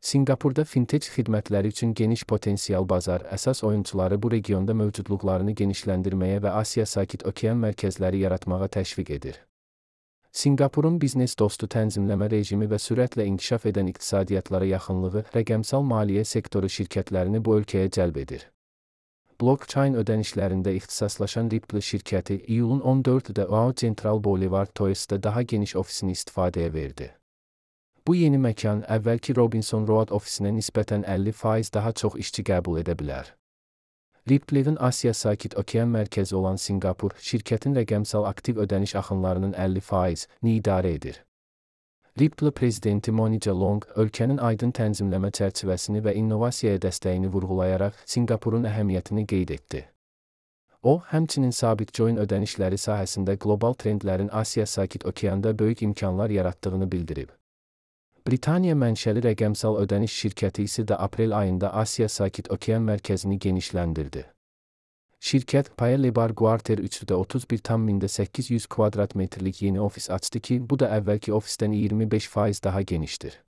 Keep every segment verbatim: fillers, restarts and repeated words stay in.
Sinqapurda fintech xidmətləri üçün geniş potensial bazar, əsas oyunçuları bu regionda mövcudluqlarını genişləndirməyə və Asiya Sakit Okean mərkəzləri yaratmağa təşviq edir. Sinqapurun biznes dostu tənzimləmə rejimi və sürətlə inkişaf edən iqtisadiyyatlara yaxınlığı rəqəmsal maliyyə sektoru şirkətlərini bu ölkəyə cəlb edir. Blockchain ödənişlərində ixtisaslaşan Ripple şirkəti iyulun on dördündə O A U Central Boulevard Toys'da daha geniş ofisini istifadəyə verdi. Bu yeni məkan əvvəlki Robinson Road ofisinə nisbətən əlli faiz daha çox işçi qəbul edə bilər. Ripple'in Asiya Sakit Okean mərkəzi olan Sinqapur, şirkətin rəqəmsal aktiv ödəniş axınlarının əlli faizini idarə edir. Ripple prezidenti Monica Long, ölkənin aydın tənzimləmə çərçivəsini və innovasiyaya dəstəyini vurğulayaraq Sinqapurun əhəmiyyətini qeyd etdi. O, həmçinin sabit coin ödənişləri sahəsində qlobal trendlərin Asiya Sakit Okeanda böyük imkanlar yaratdığını bildirib. Britaniya mənşəli rəqəmsal ödəniş şirkəti isə də aprel ayında Asiya Sakit Okean mərkəzini genişləndirdi. Şirkət Paya Lebar Quarter üçdə otuz bir tam min səkkiz yüz kvadrat metrlik yeni ofis açdı ki, bu da əvvəlki ofisdən iyirmi beş faiz daha genişdir.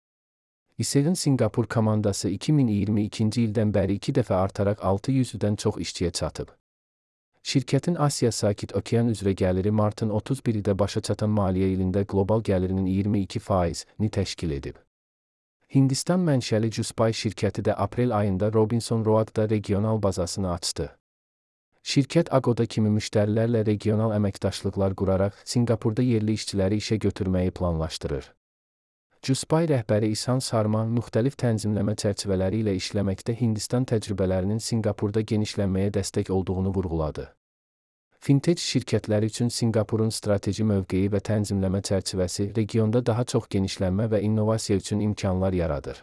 İSEL'in Sinqapur komandası iki min iyirmi ikinci ildən bəri iki dəfə artaraq altı yüzdən çox işçiyə çatıb. Şirkətin Asiya Sakit Okean üzrə gəliri martın otuz birində başa çatan maliyyə ilində qlobal gəlirinin iyirmi iki faizini təşkil edib. Hindistan mənşəli Juspay şirkəti də aprel ayında Robinson Road'da regional bazasını açdı. Şirkət Agoda kimi müştərilərlə regional əməkdaşlıqlar quraraq Sinqapurda yerli işçiləri işə götürməyi planlaşdırır. Juspay rəhbəri İshan Sarma müxtəlif tənzimləmə çərçivələri ilə işləməkdə Hindistan təcrübələrinin Sinqapurda genişlənməyə dəstək olduğunu vurğuladı. Fintech şirkətləri üçün Sinqapurun strateji mövqeyi və tənzimləmə çərçivəsi regionda daha çox genişlənmə və innovasiya üçün imkanlar yaradır.